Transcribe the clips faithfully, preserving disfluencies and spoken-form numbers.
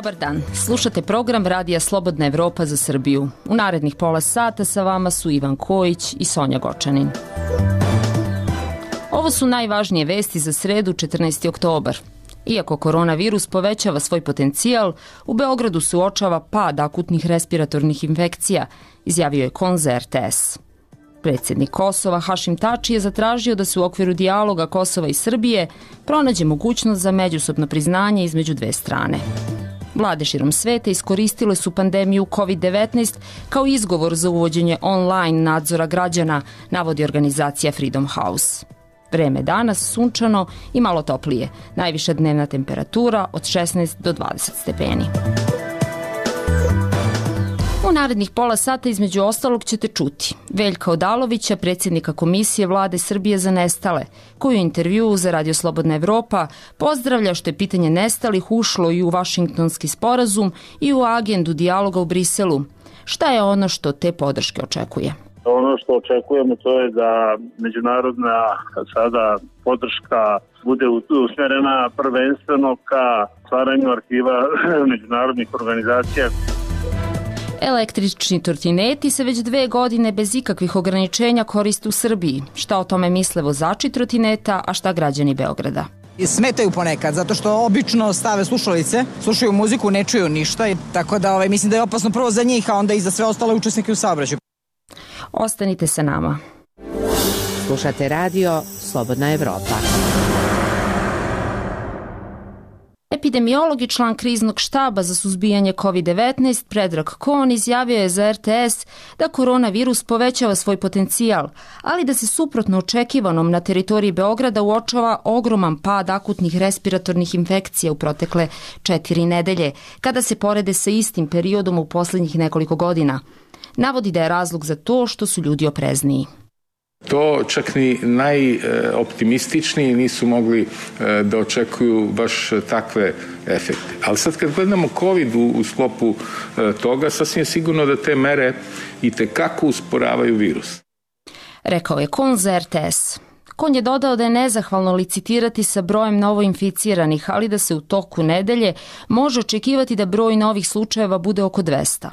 Dobar dan, slušate program Radija Slobodna Evropa za Srbiju. U narednih pola sata sa vama su Ivan Kojić i Sonja Gočanin. Ovo su najvažnije vesti za sredu četrnaesti oktobar. Iako koronavirus povećava svoj potencijal, u Beogradu se uočava pad akutnih respiratornih infekcija, izjavio je Kon za R T S. Predsjednik Kosova Hašim Tači je zatražio da se u okviru dijaloga Kosova i Srbije pronađe mogućnost za međusobno priznanje između dve strane. Vlade širom sveta iskoristile su pandemiju kovid devetnaest kao izgovor za uvođenje online nadzora građana, navodi organizacija Freedom House. Vreme danas sunčano i malo toplije, najviša dnevna temperatura od šesnaest do dvadeset stepeni. U narednih pola sata između ostalog ćete čuti Veljka Odalovića, predsjednika Komisije Vlade Srbije za nestale, koji u intervjuu za Radio Slobodna Evropa pozdravlja što je pitanje nestalih ušlo i u Vašingtonski sporazum i u agendu dijaloga u Briselu. Šta je ono što te podrške očekuje? Ono što očekujemo to je da međunarodna sada podrška bude usmjerena prvenstveno ka stvaranju arhiva međunarodnih organizacija. Električni trotineti se već dve godine bez ikakvih ograničenja koriste u Srbiji. Šta o tome misle vozači trotineta, a šta građani Beograda? Smetaju ponekad, zato što obično stave slušalice, slušaju muziku, ne čuju ništa, tako da ovaj, mislim da je opasno prvo za njih, a onda i za sve ostale učesnike u saobraćaju. Ostanite sa nama. Slušate radio Slobodna Evropa. Epidemiolog i član kriznog štaba za suzbijanje kovid devetnaest Predrag Kon izjavio je za R T S da koronavirus povećava svoj potencijal, ali da se suprotno očekivanom na teritoriji Beograda uočava ogroman pad akutnih respiratornih infekcija u protekle četiri nedelje, kada se porede sa istim periodom u posljednjih nekoliko godina. Navodi da je razlog za to što su ljudi oprezniji. To čak ni najoptimističniji nisu mogli da očekuju baš takve efekte. Ali sad kad gledamo COVID u, u sklopu toga, sasvim je sigurno da te mere i tekako usporavaju virus. Rekao je Kon za R T S. Kon je dodao da je nezahvalno licitirati sa brojem novoinficiranih, ali da se u toku nedelje može očekivati da broj novih slučajeva bude oko dvesta.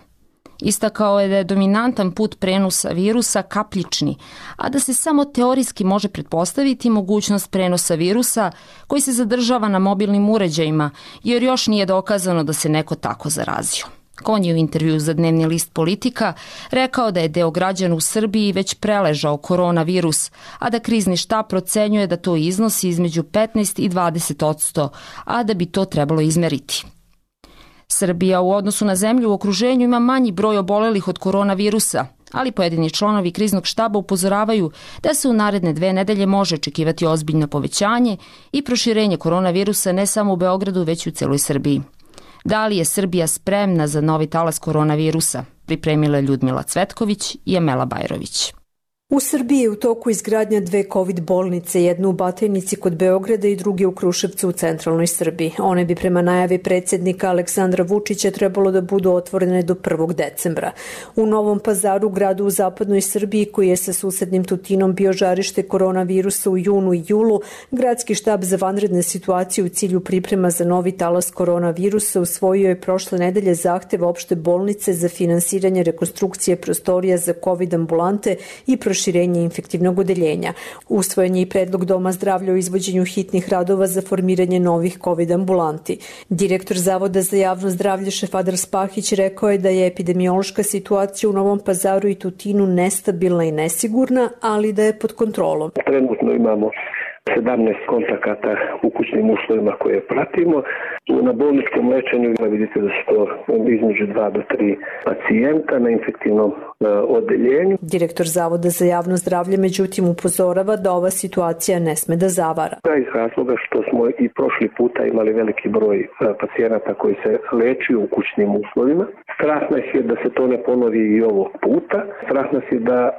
Istakao je da je dominantan put prenosa virusa kapljični, a da se samo teorijski može pretpostaviti mogućnost prenosa virusa koji se zadržava na mobilnim uređajima, jer još nije dokazano da se neko tako zarazio. Kon je u intervju za dnevni list Politika rekao da je deo građana u Srbiji već preležao koronavirus, a da krizni štab procenjuje da to iznosi između petnaest i dvadeset odsto, a da bi to trebalo izmeriti. Srbija u odnosu na zemlju u okruženju ima manji broj obolelih od koronavirusa, ali pojedini članovi kriznog štaba upozoravaju da se u naredne dve nedelje može očekivati ozbiljno povećanje i proširenje koronavirusa ne samo u Beogradu, već i u celoj Srbiji. Da li je Srbija spremna za novi talas koronavirusa? Pripremila Ljudmila Cvetković i Amela Bajrović. U Srbiji je u toku izgradnja dve kovid bolnice, jednu u Batajnici kod Beograda i druge u Kruševcu u centralnoj Srbiji. One bi prema najavi predsjednika Aleksandra Vučića trebalo da budu otvorene do prvog decembra. U Novom Pazaru, gradu u zapadnoj Srbiji koji je sa susednim Tutinom bio žarište koronavirusa u junu i julu, gradski štab za vanredne situacije u cilju priprema za novi talas koronavirusa usvojio je prošle nedelje zahtev opšte bolnice za finansiranje rekonstrukcije prostorija za kovid ambulante i proširenje širenje infektivnog odeljenja. Usvojen je i predlog Doma zdravlja o izvođenju hitnih radova za formiranje novih kovid ambulanti. Direktor Zavoda za javno zdravlje Šefadar Spahić rekao je da je epidemiološka situacija u Novom Pazaru i Tutinu nestabilna i nesigurna, ali da je pod kontrolom. Trenutno imamo sedamnaest kontakata u kućnim uslovima koje pratimo. Na bolničkom lečenju vidite da su to između dva do tri pacijenta na infektivnom odeljenju. Direktor Zavoda za javno zdravlje međutim upozorava da ova situacija ne sme da zavara. Da, iz razloga što smo i prošli puta imali veliki broj pacijenata koji se lečuju u kućnim uslovima. Strah nas je da se to ne ponovi i ovog puta. Strah nas je da a,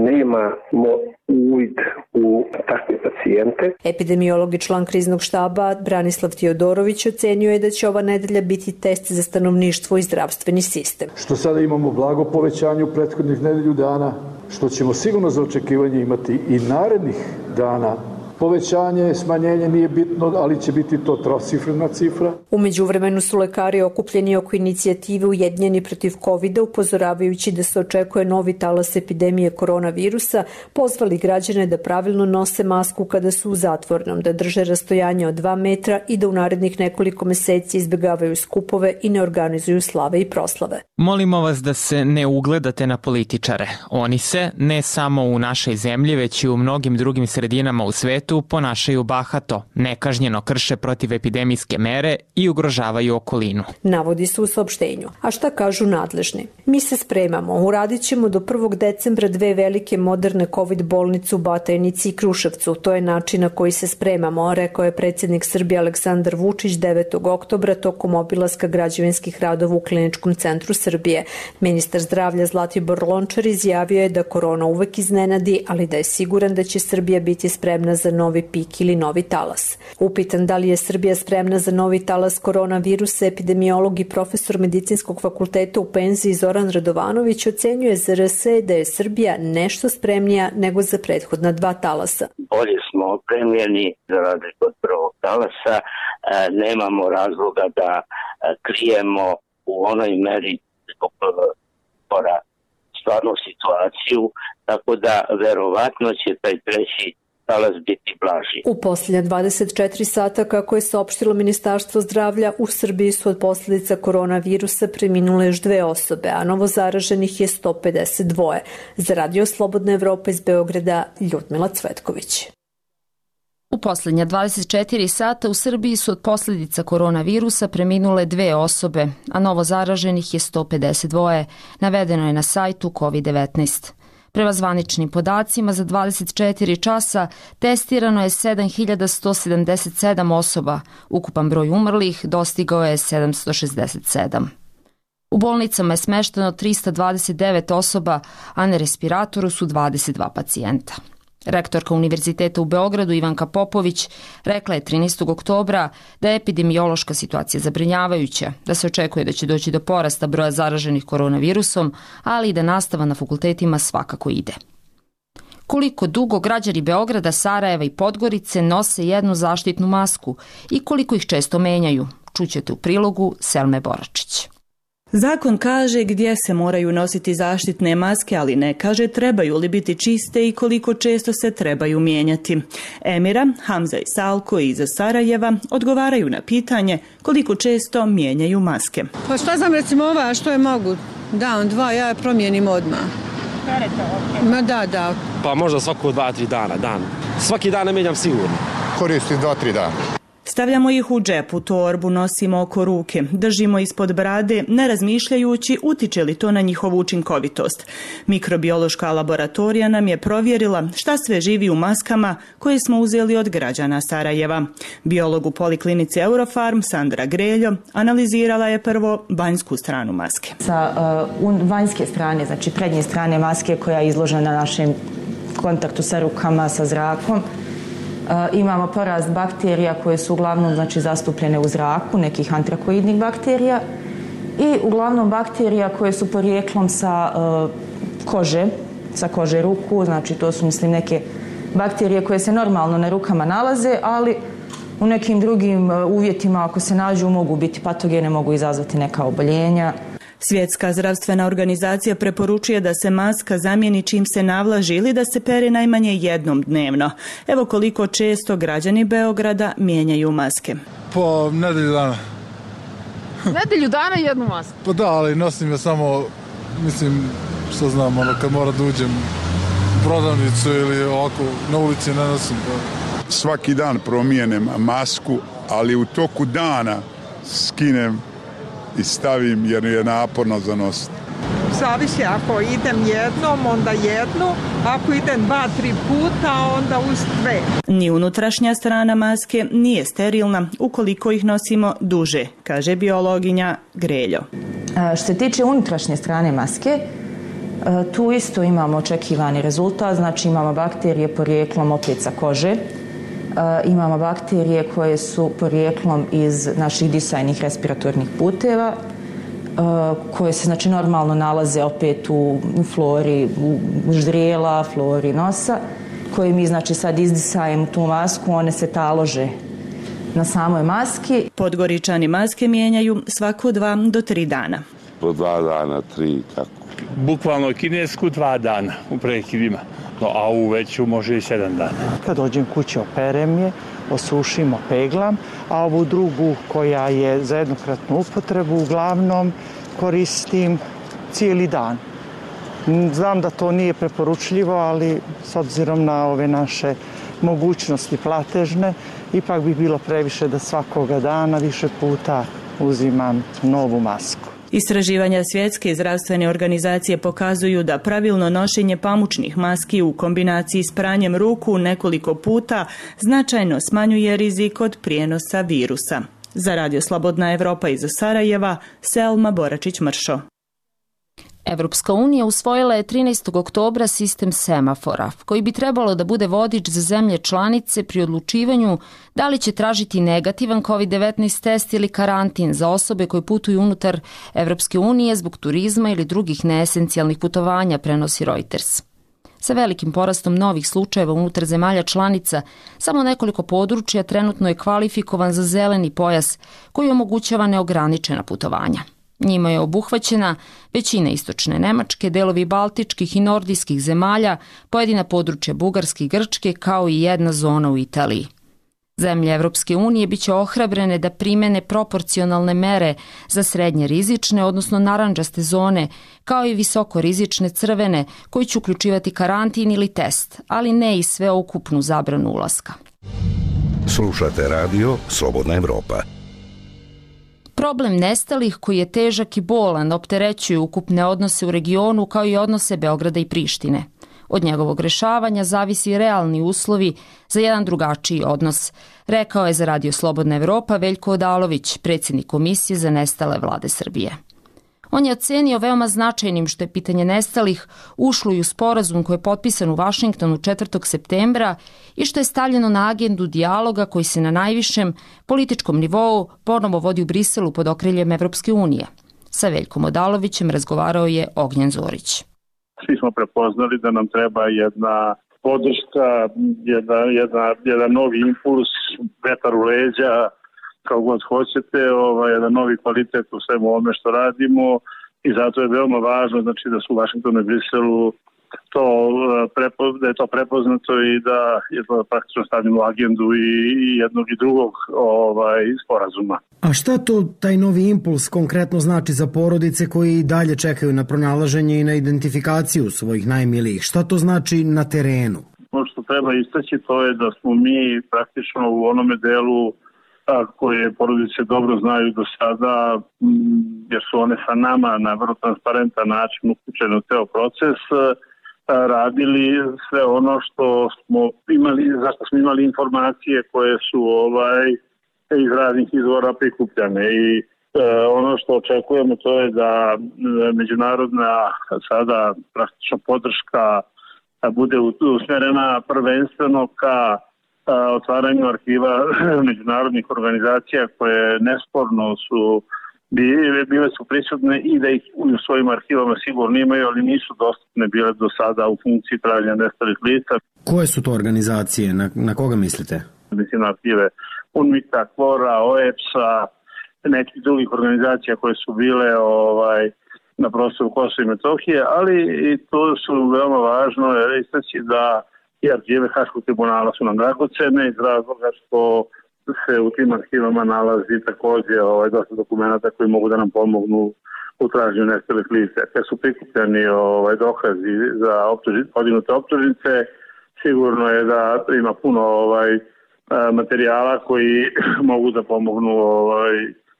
nemamo uvid u takve pacijente. Epidemiolog i član kriznog štaba Branislav Teodorović ocenio je da će ova nedelja biti test za stanovništvo i zdravstveni sistem. Što sada imamo blago povećanje u prethodnih nedelju dana, što ćemo sigurno za očekivanje imati i narednih dana Povećanje, smanjenje nije bitno, ali će biti to trocifrena cifra. U međuvremenu su lekari okupljeni oko inicijative Ujedinjeni protiv kovida, upozoravajući da se očekuje novi talas epidemije koronavirusa, pozvali građane da pravilno nose masku kada su u zatvorenom, da drže rastojanje od dva metra i da u narednih nekoliko meseci izbjegavaju skupove i ne organizuju slave i proslave. Molimo vas da se ne ugledate na političare. Oni se, ne samo u našoj zemlji, već i u mnogim drugim sredinama u svetu, ponašaju bahato, nekažnjeno krše protivepidemijske mere i ugrožavaju okolinu. Navodi se u saopštenju. A šta kažu nadležni? Mi se spremamo. Uradit ćemo do prvog decembra dve velike moderne COVID bolnice u Batajnici i Kruševcu. To je način na koji se spremamo, rekao je predsjednik Srbije Aleksandar Vučić devetog oktobra tokom obilaska građevinskih radova u Kliničkom centru Srbije. Ministar zdravlja Zlatibor Lončar izjavio je da korona uvek iznenadi, ali da je siguran da će Srbija biti spremna za novi pik ili novi talas. Upitan da li je Srbija spremna za novi talas koronavirusa, epidemiolog i profesor medicinskog fakulteta u penziji Zoran Radovanović ocenjuje za R S da je Srbija nešto spremnija nego za prethodna dva talasa. Bolje smo opremljeni za razliku od prvog talasa, nemamo razloga da krijemo u onoj meri zbog pora stvarnu situaciju, tako da verovatno će taj treći talas biti blaži. U posljednja dvadeset četiri sata, kako je saopštilo Ministarstvo zdravlja, u Srbiji su od posljedica koronavirusa preminule još dve osobe, a novo zaraženih je sto pedeset dva. Za Radio Slobodna Evropa iz Beograda, Ljudmila Cvetković. U posljednja dvadeset četiri sata u Srbiji su od posljedica koronavirusa preminule dve osobe, a novo zaraženih je sto pedeset dva, navedeno je na sajtu kovid devetnaest. Prema zvaničnim podacima, za dvadeset četiri časa testirano je sedam hiljada sto sedamdeset sedam osoba, ukupan broj umrlih dostigao je sedamsto šezdeset sedam. U bolnicama je smešteno trista dvadeset devet osoba, a na respiratoru su dvadeset dva pacijenta. Rektorka Univerziteta u Beogradu Ivanka Popović rekla je trinaestog oktobra da je epidemiološka situacija zabrinjavajuća, da se očekuje da će doći do porasta broja zaraženih koronavirusom, ali i da nastava na fakultetima svakako ide. Koliko dugo građani Beograda, Sarajeva i Podgorice nose jednu zaštitnu masku i koliko ih često menjaju, čućete u prilogu Selme Boračić. Zakon kaže gdje se moraju nositi zaštitne maske, ali ne kaže trebaju li biti čiste i koliko često se trebaju mijenjati. Emira, Hamza i Salko iz Sarajeva odgovaraju na pitanje koliko često mijenjaju maske. Pa šta znam, recimo ova, što je mogu? Dan, dva, ja je promijenim odmah. Ma da, da. Pa možda svako dva, tri dana, dan. Svaki dan ne mijenjam sigurno. Koristim dva, tri dana. Stavljamo ih u džep, u torbu, nosimo oko ruke, držimo ispod brade, ne razmišljajući utiče li to na njihovu učinkovitost. Mikrobiološka laboratorija nam je provjerila šta sve živi u maskama koje smo uzeli od građana Sarajeva. Biolog u poliklinici Eurofarm, Sandra Greljo, analizirala je prvo vanjsku stranu maske. Sa uh, vanjske strane, znači prednje strane maske koja je izložena na našem kontaktu sa rukama, sa zrakom, Uh, imamo porast bakterija koje su uglavnom znači, zastupljene u zraku, nekih antrakoidnih bakterija i uglavnom bakterija koje su porijeklom sa uh, kože, sa kože ruku, znači to su mislim neke bakterije koje se normalno na rukama nalaze, ali u nekim drugim uh, uvjetima ako se nađu mogu biti patogene, mogu izazvati neka oboljenja. Svjetska zdravstvena organizacija preporučuje da se maska zamijeni čim se navlaži ili da se pere najmanje jednom dnevno. Evo koliko često građani Beograda mijenjaju maske. Po nedelju dana. Nedelju dana jednu masku? Pa da, ali nosim je samo, mislim, što znam, ono, kad mora da uđem u prodavnicu ili ovako na ulici ne nosim. Svaki dan promijenem masku, ali u toku dana skinem i stavim jer je naporno za nositi. Zavisi, ako idem jednom, onda jednu, ako idem dva, tri puta, onda uz dve. Ni unutrašnja strana maske nije sterilna ukoliko ih nosimo duže, kaže biologinja Greljo. Što se tiče unutrašnje strane maske, tu isto imamo očekivani rezultat, znači imamo bakterije porijeklom opet sa kože, imamo bakterije koje su porijeklom iz naših disajnih respiratornih puteva, koje se znači normalno nalaze opet u flori ždrijela, flori nosa, koju mi znači sad izdisajemo tu masku, one se talože na samoj maski. Podgoričani maske mijenjaju svako dva do tri dana. Po dva dana, tri, tako. Bukvalno kinesku dva dana u prekidima, no, a u veću može i sedam dana. Kad dođem kući operem je, osušimo, peglam, a ovu drugu koja je za jednokratnu upotrebu uglavnom koristim cijeli dan. Znam da to nije preporučljivo, ali s obzirom na ove naše mogućnosti platežne, ipak bi bilo previše da svakoga dana više puta uzimam novu masku. Istraživanja Svjetske zdravstvene organizacije pokazuju da pravilno nošenje pamučnih maski u kombinaciji s pranjem ruku nekoliko puta značajno smanjuje rizik od prijenosa virusa. Za Radio Slobodna Evropa iz Sarajeva, Selma Boračić-Mršo. Evropska unija usvojila je trinaestog oktobra sistem semafora, koji bi trebalo da bude vodič za zemlje članice pri odlučivanju da li će tražiti negativan kovid devetnaest test ili karantin za osobe koje putuju unutar Evropske unije zbog turizma ili drugih neesencijalnih putovanja, prenosi Reuters. Sa velikim porastom novih slučajeva unutar zemalja članica, samo nekoliko područja trenutno je kvalifikovan za zeleni pojas koji omogućava neograničena putovanja. Njima je obuhvaćena većina istočne Nemačke, delovi baltičkih i nordijskih zemalja, pojedina područja Bugarske i Grčke, kao i jedna zona u Italiji. Zemlje Evropske unije biće ohrabrene da primene proporcionalne mere za srednje rizične, odnosno narandžaste zone, kao i visoko rizične crvene, koji će uključivati karantin ili test, ali ne i sveukupnu zabranu ulaska. Slušate radio Slobodna Evropa. Problem nestalih, koji je težak i bolan, opterećuje ukupne odnose u regionu kao i odnose Beograda i Prištine. Od njegovog rešavanja zavisi realni uslovi za jedan drugačiji odnos, rekao je za Radio Slobodna Evropa Veljko Odalović, predsjednik Komisije za nestale vlade Srbije. On je ocenio veoma značajnim što je pitanje nestalih ušlo i u sporazum koji je potpisan u Vašingtonu četvrtog septembra i što je stavljeno na agendu dijaloga koji se na najvišem političkom nivou ponovo vodi u Briselu pod okriljem Evropske unije. Sa Veljkom Odalovićem razgovarao je Ognjen Zorić. Svi smo prepoznali da nam treba jedna podrška, jedna, jedna, jedan novi impuls, vetar u leđa, kao god hoćete, ovaj, jedan novi kvalitet u svemu ovome što radimo i zato je veoma važno znači, da su u Vašingtonu i Briselu to, da je to prepoznato i da je to praktično stavljeno u agendu i, i jednog i drugog ovaj, sporazuma. A šta to taj novi impuls konkretno znači za porodice koji i dalje čekaju na pronalaženje i na identifikaciju svojih najmilijih? Šta to znači na terenu? Ono što treba istaći to je da smo mi praktično u onome delu koje porodice dobro znaju do sada, jer su one sa nama na vrlo transparentan način uključene u ceo proces, radili sve ono što smo imali, zašto smo imali informacije koje su ovaj iz raznih izvora prikupljane i e, ono što očekujemo to je da međunarodna sada praktično podrška bude usmjerena prvenstveno ka otvaranju arhiva međunarodnih organizacija koje nesporno su bile su prisutne i da ih u svojim arhivama sigurno imaju, ali nisu dostupne bile do sada u funkciji traženja nestalih lica. Koje su to organizacije? Na, na koga mislite? Mislim na arhive UNMITA, KFOR-a, O E P S-a, nekih drugih organizacija koje su bile ovaj, na prostoru Kosova i Metohije, ali i to su veoma važno istaći da i arhive Haškog tribunala su nam dragocene iz razloga što se u tim arhivama nalazi također ovaj, dosta dokumenta koji mogu da nam pomognu u traženju nestalih lica. Kad su prikupljeni ovaj, dokazi za optužnice, podignute optužnice, sigurno je da ima puno ovaj, materijala koji mogu da pomognu ovaj,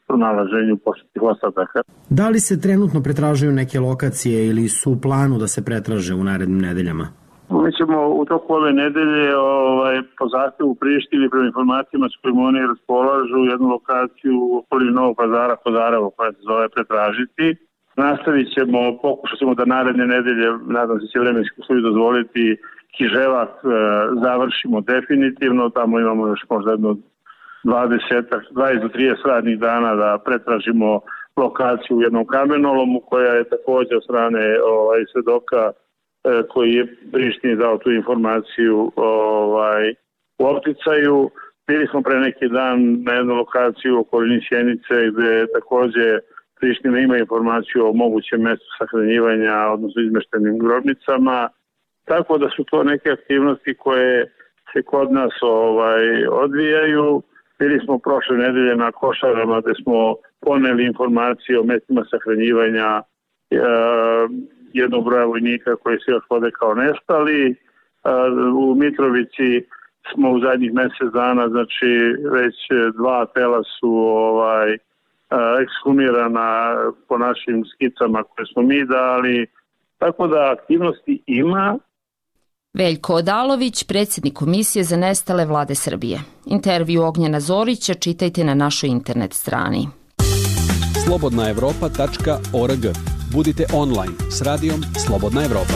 pronalaženju posljednjih ostataka. Da li se trenutno pretražuju neke lokacije ili su u planu da se pretraže u narednim nedeljama? Mi ćemo u toku ove nedelje ovaj, po zahtevu Prištini prema informacijama s kojima oni raspolažu jednu lokaciju u okolini Novog Pazara, Kozarevo, koja se zove pretražiti. Nastavit ćemo, pokušat ćemo da naredne nedelje, nadam se će vremenski uslovi dozvoliti, Kiževak e, završimo definitivno. Tamo imamo još možda jedno dvadeset do trideset radnih dana da pretražimo lokaciju u jednom kamenolomu koja je također od strane ovaj, svedoka koji je Prištini dao tu informaciju ovaj, u opticaju. Bili smo pre neki dan na jednu lokaciju u okolini Sjenice gde takođe Priština ima informaciju o mogućem mestu sahranjivanja, odnosno izmeštenim grobnicama. Tako da su to neke aktivnosti koje se kod nas ovaj, odvijaju. Bili smo prošle nedelje na Košarama gde smo poneli informacije o mestima sahranjivanja e, jednog broja vojnika koji se još vode kao nestali. E, u Mitrovici smo u zadnjih mesec dana, znači već dva tela su ovaj, ekshumirana po našim skicama koje smo mi dali, tako da aktivnosti ima. Veljko Odalović, predsjednik Komisije za nestale Vlade Srbije. Intervju Ognjena Zorića čitajte na našoj internet strani. slobodna evropa tačka org. Budite online s radijom Slobodna Evropa.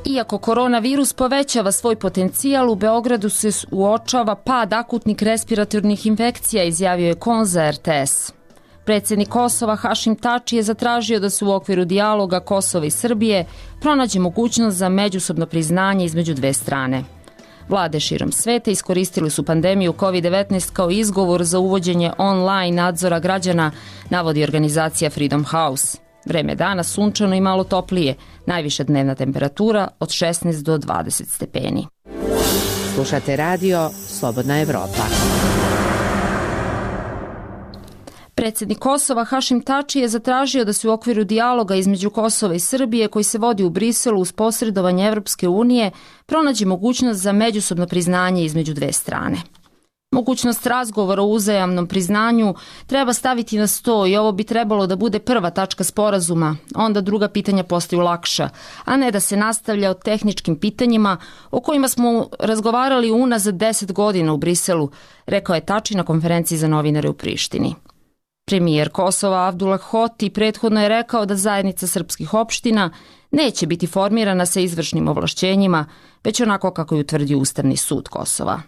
Iako koronavirus povećava svoj potencijal, u Beogradu se uočava pad akutnih respiratornih infekcija, izjavio je Kon za er te es. Predsjednik Kosova Hašim Tači je zatražio da se u okviru dijaloga Kosova i Srbije pronađe mogućnost za međusobno priznanje između dve strane. Vlade širom sveta iskoristili su pandemiju kovid devetnaest kao izgovor za uvođenje online nadzora građana, navodi organizacija Freedom House. Vreme dana sunčano i malo toplije, najviša dnevna temperatura od šesnaest do dvadeset stepeni. Slušate radio Slobodna Evropa. Predsjednik Kosova Hašim Tači je zatražio da se u okviru dijaloga između Kosova i Srbije koji se vodi u Briselu uz posredovanje Evropske unije pronađe mogućnost za međusobno priznanje između dve strane. Mogućnost razgovora o uzajamnom priznanju treba staviti na sto i ovo bi trebalo da bude prva tačka sporazuma, onda druga pitanja postaju lakša, a ne da se nastavlja o tehničkim pitanjima o kojima smo razgovarali unazad deset godina u Briselu, rekao je Tači na konferenciji za novinare u Prištini. Premijer Kosova Abdullah Hoti prethodno je rekao da zajednica srpskih opština neće biti formirana sa izvršnim ovlašćenjima, već onako kako je utvrdio Ustavni sud Kosova.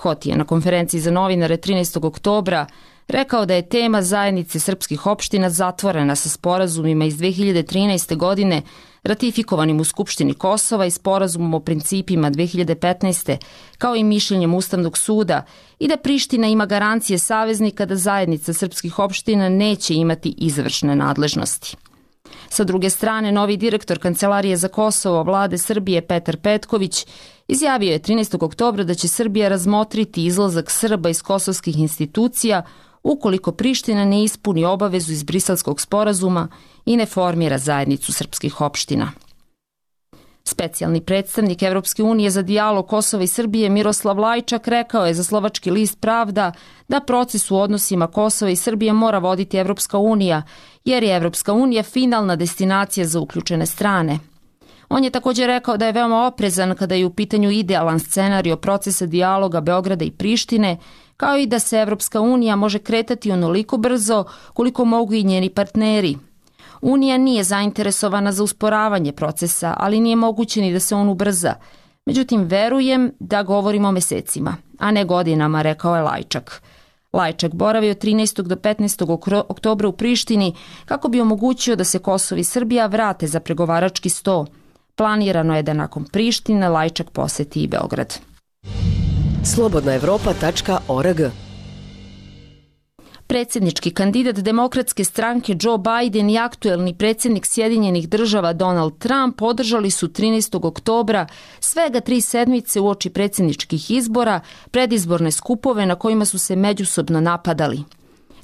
Hoti je na konferenciji za novinare trinaestog oktobra rekao da je tema zajednice srpskih opština zatvorena sa sporazumima iz dve hiljade trinaeste. godine ratifikovanim u Skupštini Kosova i sporazumom o principima dve hiljade petnaeste. kao i mišljenjem Ustavnog suda i da Priština ima garancije saveznika da zajednica srpskih opština neće imati izvršne nadležnosti. Sa druge strane, novi direktor Kancelarije za Kosovo Vlade Srbije Petar Petković izjavio je trinaestog oktobra da će Srbija razmotriti izlazak Srba iz kosovskih institucija ukoliko Priština ne ispuni obavezu iz Briselskog sporazuma i ne formira zajednicu srpskih opština. Specijalni predstavnik Evropske unije za dijalog Kosova i Srbije Miroslav Lajčak rekao je za slovački list Pravda da proces u odnosima Kosova i Srbije mora voditi Evropska unija, jer je Evropska unija finalna destinacija za uključene strane. On je također rekao da je veoma oprezan kada je u pitanju idealan scenario procesa dijaloga Beograda i Prištine, kao i da se Evropska unija može kretati onoliko brzo koliko mogu i njeni partneri. Unija nije zainteresovana za usporavanje procesa, ali nije moguće ni da se on ubrza. Međutim, verujem da govorimo o mesecima, a ne godinama, rekao je Lajčak. Lajčak boravio od trinaestog do petnaestog oktobra u Prištini kako bi omogućio da se Kosovo i Srbija vrate za pregovarački sto. Planirano je da nakon Prištine Lajčak poseti i Beograd. slobodna evropa tačka org. Predsjednički kandidat demokratske stranke Joe Biden i aktuelni predsjednik Sjedinjenih država Donald Trump podržali su trinaestog oktobra svega tri sedmice uoči predsjedničkih izbora predizborne skupove na kojima su se međusobno napadali.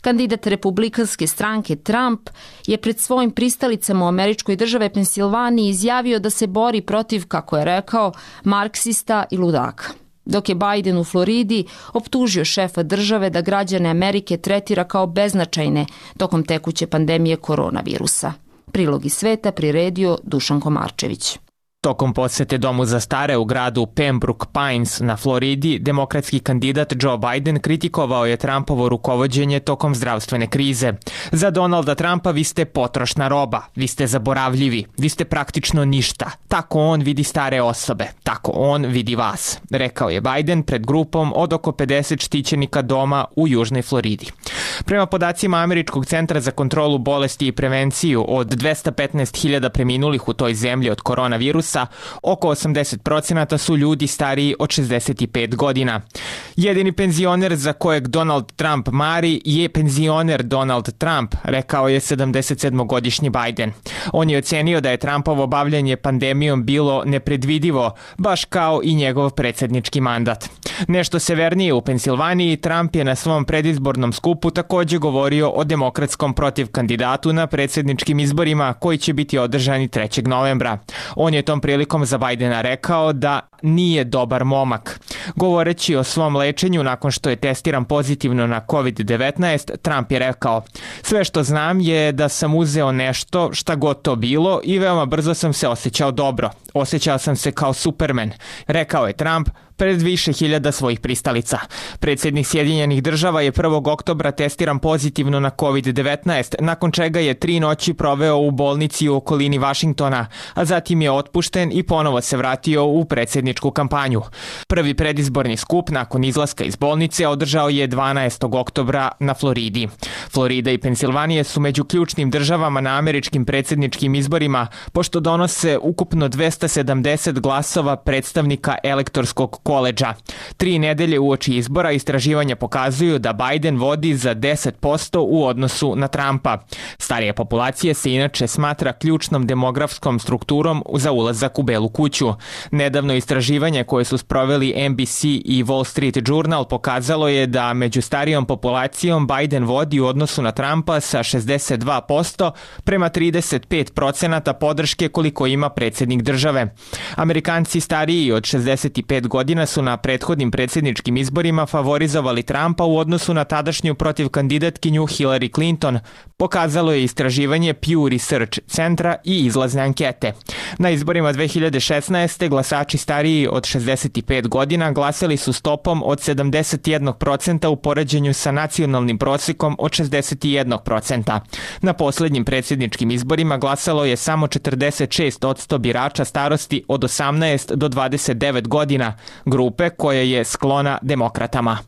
Kandidat republikanske stranke Trump je pred svojim pristalicama u američkoj države Pensilvaniji izjavio da se bori protiv, kako je rekao, marksista i ludaka. Dok je Biden u Floridi optužio šefa države da građane Amerike tretira kao beznačajne tokom tekuće pandemije koronavirusa. Prilog iz sveta priredio Dušan Komarčević. Tokom posete domu za stare u gradu Pembroke Pines na Floridi, demokratski kandidat Joe Biden kritikovao je Trumpovo rukovođenje tokom zdravstvene krize. Za Donalda Trumpa vi ste potrošna roba, vi ste zaboravljivi, vi ste praktično ništa. Tako on vidi stare osobe, tako on vidi vas, rekao je Biden pred grupom od oko pedeset štićenika doma u južnoj Floridi. Prema podacima Američkog centra za kontrolu bolesti i prevenciju, od dvesta petnaest hiljada preminulih u toj zemlji od koronavirusa, oko osamdeset procenata su ljudi stariji od šezdeset pet godina. Jedini penzioner za kojeg Donald Trump mari je penzioner Donald Trump, rekao je sedamdesetsedmogodišnji Biden. On je ocenio da je Trumpovo bavljanje pandemijom bilo nepredvidivo, baš kao i njegov predsjednički mandat. Nešto severnije u Pensilvaniji, Trump je na svom predizbornom skupu također govorio o demokratskom protiv kandidatu na predsjedničkim izborima koji će biti održani trećeg novembra. On je tom prilikom za Bidena rekao da nije dobar momak. Govoreći o svom lečenju nakon što je testiran pozitivno na kovid devetnaest, Trump je rekao: "Sve što znam je da sam uzeo nešto, šta god to bilo, i veoma brzo sam se osjećao dobro. Osjećao sam se kao Superman", rekao je Trump pred više hiljada svojih pristalica. Predsjednik Sjedinjenih država je prvog oktobra testiran pozitivno na kovid devetnaest, nakon čega je tri noći proveo u bolnici u okolini Vašingtona, a zatim je otpušten i ponovo se vratio u predsjedničku kampanju. Prvi predizborni skup nakon izlaska iz bolnice održao je dvanaestog oktobra na Floridi. Florida i Pensilvanija su među ključnim državama na američkim predsjedničkim izborima, pošto donose ukupno dvesta sedamdeset glasova predstavnika elektorskog koledža. Tri nedelje uoči izbora istraživanja pokazuju da Biden vodi za deset posto u odnosu na Trumpa. Starija populacija se inače smatra ključnom demografskom strukturom za ulazak u Belu kuću. Nedavno istraživanje koje su sproveli N B C i Wall Street Journal pokazalo je da među starijom populacijom Biden vodi u odnosu na Trumpa sa šezdeset dva posto prema trideset pet procenata podrške koliko ima predsjednik države. Amerikanci stariji od šezdeset pet godina su na prethodnim predsjedničkim izborima favorizovali Trumpa u odnosu na tadašnju protiv kandidatkinju Hillary Clinton, pokazalo je istraživanje Pew Research centra i izlazne ankete. Na izborima dve hiljade šesnaeste. glasači stariji od šezdeset pet godina glasali su stopom od sedamdeset jedan procenat u poređenju sa nacionalnim prosjekom od šezdeset jedan procenat. Na posljednjim predsjedničkim izborima glasalo je samo četrdeset šest posto birača starosti od osamnaest do dvadeset devet godina, grupe koja je sklona demokratama.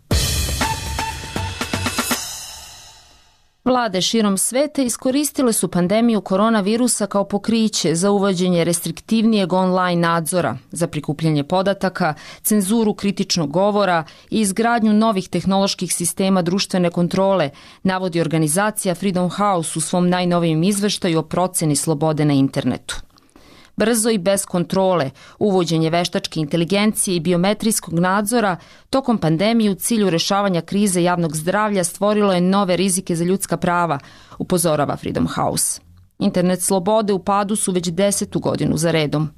Vlade širom sveta iskoristile su pandemiju koronavirusa kao pokriće za uvođenje restriktivnijeg online nadzora, za prikupljanje podataka, cenzuru kritičnog govora i izgradnju novih tehnoloških sistema društvene kontrole, navodi organizacija Freedom House u svom najnovijem izveštaju o proceni slobode na internetu. Brzo i bez kontrole, uvođenje veštačke inteligencije i biometrijskog nadzora tokom pandemije u cilju rešavanja krize javnog zdravlja stvorilo je nove rizike za ljudska prava, upozorava Freedom House. Internet slobode u padu su već desetu godinu za redom.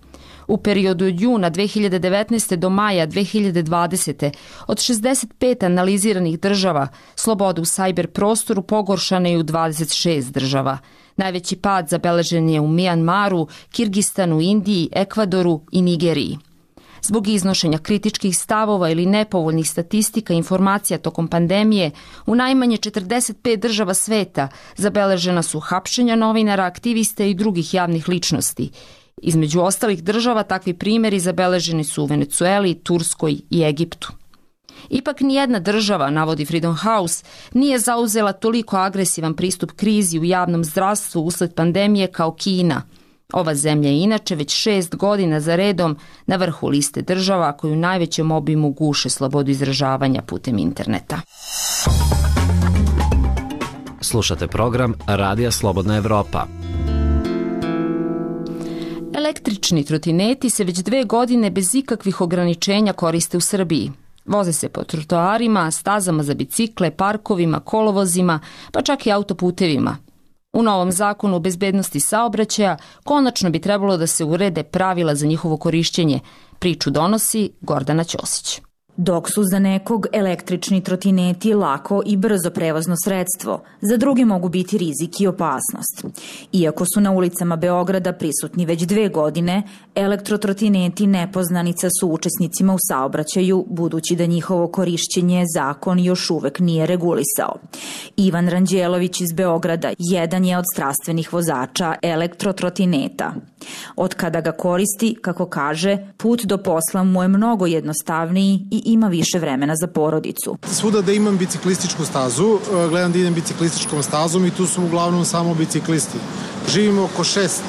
U periodu od juna dve hiljade devetnaeste. do maja dve hiljade dvadesete. od šezdeset pet analiziranih država, sloboda u sajber prostoru pogoršana je u dvadeset šest država. Najveći pad zabeležen je u Mijanmaru, Kirgistanu, Indiji, Ekvadoru i Nigeriji. Zbog iznošenja kritičkih stavova ili nepovoljnih statistika i informacija tokom pandemije, u najmanje četrdeset pet država sveta zabeležena su hapšenja novinara, aktivista i drugih javnih ličnosti. Između ostalih država takvi primjeri zabeleženi su u Venecueli, Turskoj i Egiptu. Ipak nijedna država, navodi Freedom House, nije zauzela toliko agresivan pristup krizi u javnom zdravstvu usled pandemije kao Kina. Ova zemlja je inače već šest godina za redom na vrhu liste država koji u najvećem obimu guše slobodu izražavanja putem interneta. Slušate program Radija Slobodna Evropa. Električni trotineti se već dve godine bez ikakvih ograničenja koriste u Srbiji. Voze se po trotoarima, stazama za bicikle, parkovima, kolovozima, pa čak i autoputevima. U novom zakonu o bezbednosti saobraćaja konačno bi trebalo da se urede pravila za njihovo korišćenje. Priču donosi Gordana Ćosić. Dok su za nekog električni trotineti lako i brzo prevozno sredstvo, za druge mogu biti rizik i opasnost. Iako su na ulicama Beograda prisutni već dve godine, elektrotrotineti nepoznanica su učesnicima u saobraćaju, budući da njihovo korišćenje zakon još uvek nije regulisao. Ivan Ranđelović iz Beograda jedan je od strastvenih vozača elektrotrotineta. Od kada ga koristi, kako kaže, put do posla mu je mnogo jednostavniji i ima više vremena za porodicu. Svuda da imam biciklističku stazu, gledam da idem biciklističkom stazom i tu su uglavnom samo biciklisti. Živimo oko šest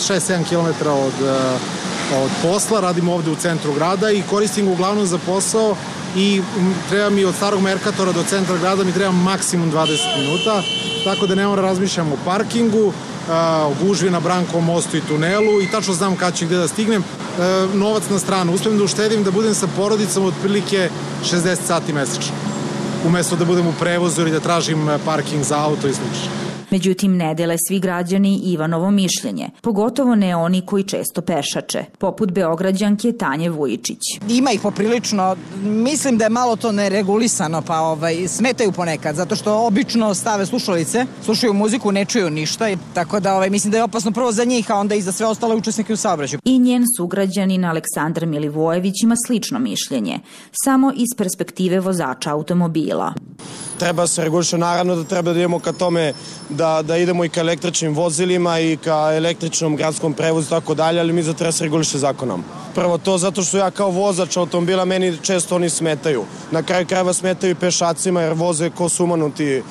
do sedam kilometara od, od posla, radimo ovde u centru grada i koristim ga uglavnom za posao i treba mi od starog Merkatora do centra grada mi treba maksimum dvadeset minuta, tako da ne moram razmišljam o parkingu, o gužvi na Brankovom mostu i tunelu i tačno znam kad ću gde da stignem. Novac na stranu, uspijem da uštedim da budem sa porodicom otprilike šezdeset sati mesečno, umesto da budem u prevozu ili da tražim parking za auto i slično. Međutim, ne dele svi građani Ivanovo mišljenje, pogotovo ne oni koji često pešače, poput Beograđanke Tanje Vujičić. Ima ih poprilično, mislim da je malo to neregulisano, pa ovaj, smetaju ponekad, zato što obično stave slušalice, slušaju muziku, ne čuju ništa, tako da ovaj, mislim da je opasno prvo za njih, a onda i za sve ostale učesnike u saobraćaju. I njen sugrađanin Aleksandar Milivojević ima slično mišljenje, samo iz perspektive vozača automobila. Treba se reguliše, naravno da treba da idemo ka tome da, da idemo i ka električnim vozilima i ka električnom gradskom prevozu i tako dalje, ali mi za treba se reguliše zakonom. Prvo to zato što ja kao vozač automobila meni često oni smetaju. Na kraju krajeva smetaju i pešacima jer voze ko sumanuti.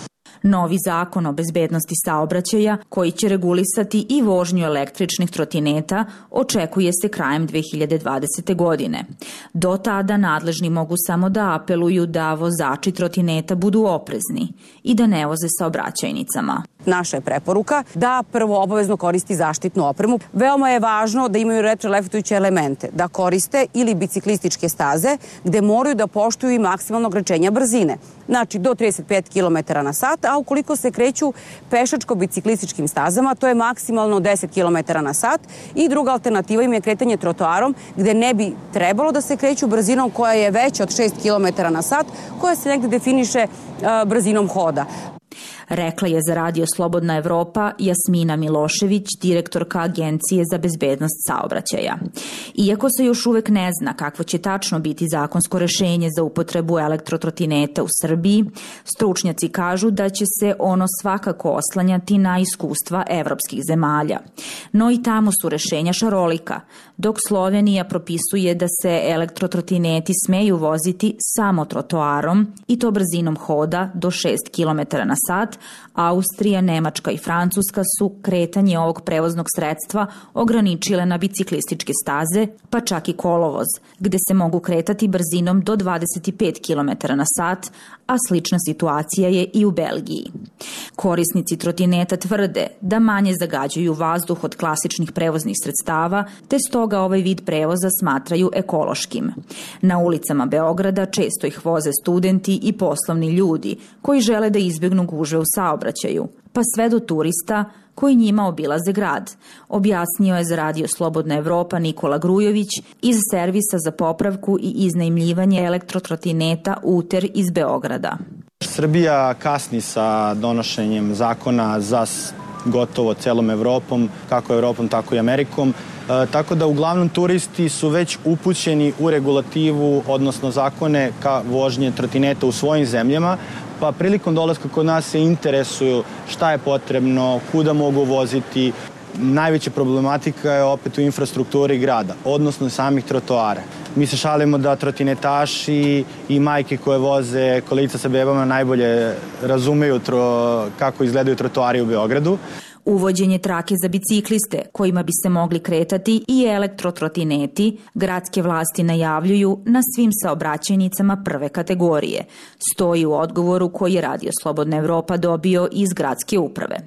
Novi zakon o bezbednosti saobraćaja, koji će regulisati i vožnju električnih trotineta, očekuje se krajem dve hiljade dvadesete. godine. Do tada nadležni mogu samo da apeluju da vozači trotineta budu oprezni i da ne voze saobraćajnicama. Naša je preporuka da prvo obavezno koristi zaštitnu opremu. Veoma je važno da imaju retroreflektujuće elemente, da koriste ili biciklističke staze gde moraju da poštuju i maksimalno ograničenja brzine. Znači do trideset pet kilometara na sat, a ukoliko se kreću pešačko-biciklističkim stazama, to je maksimalno deset kilometara na sat i druga alternativa im je kretanje trotoarom gde ne bi trebalo da se kreću brzinom koja je veća od šest kilometara na sat, koja se negde definiše uh, brzinom hoda. Rekla je za Radio Slobodna Evropa Jasmina Milošević, direktorka Agencije za bezbednost saobraćaja. Iako se još uvek ne zna kakvo će tačno biti zakonsko rešenje za upotrebu elektrotrotineta u Srbiji, stručnjaci kažu da će se ono svakako oslanjati na iskustva evropskih zemalja. No i tamo su rešenja šarolika, dok Slovenija propisuje da se elektrotrotineti smeju voziti samo trotoarom i to brzinom hoda do šest kilometara na sat, Austrija, Nemačka i Francuska su kretanje ovog prevoznog sredstva ograničile na biciklističke staze, pa čak i kolovoz, gde se mogu kretati brzinom do dvadeset pet kilometara na sat, a slična situacija je i u Belgiji. Korisnici trotineta tvrde da manje zagađuju vazduh od klasičnih prevoznih sredstava, te stoga ovaj vid prevoza smatraju ekološkim. Na ulicama Beograda često ih voze studenti i poslovni ljudi koji žele da izbjegnu gužve u saobraćaju, pa sve do turista koji njima obilaze grad, objasnio je za Radio Slobodna Evropa Nikola Grujović iz servisa za popravku i iznajmljivanje elektrotrotineta Uter iz Beograda. Srbija kasni sa donošenjem zakona za gotovo celom Evropom, kako Evropom, tako i Amerikom. E, tako da uglavnom turisti su već upućeni u regulativu, odnosno zakone ka vožnje trotineta u svojim zemljama, pa prilikom dolaska kod nas se interesuju šta je potrebno, kuda mogu voziti. Najveća problematika je opet u infrastrukturi grada, odnosno samih trotoara. Mi se šalimo da trotinetaši i majke koje voze kolica sa bebama najbolje razumeju tro, kako izgledaju trotoari u Beogradu. Uvođenje trake za bicikliste, kojima bi se mogli kretati i elektrotrotineti, gradske vlasti najavljuju na svim saobraćajnicama prve kategorije. Stoji u odgovoru koji je Radio Slobodna Evropa dobio iz gradske uprave.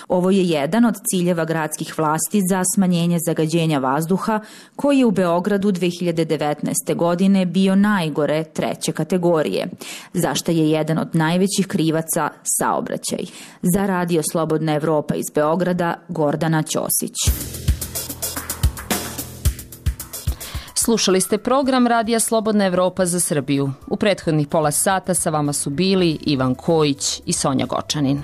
Ovo je jedan od ciljeva gradskih vlasti za smanjenje zagađenja vazduha, koji je u Beogradu dve hiljade devetnaeste. godine bio najgore treće kategorije, za što je jedan od najvećih krivaca saobraćaj. Za Radio Slobodna Evropa iz Beograda Beograda, Gordana Ćosić. Slušali ste program Radija Slobodna Evropa za Srbiju. U prethodnih pola sata sa vama su bili Ivan Kojić i Sonja Gočanin.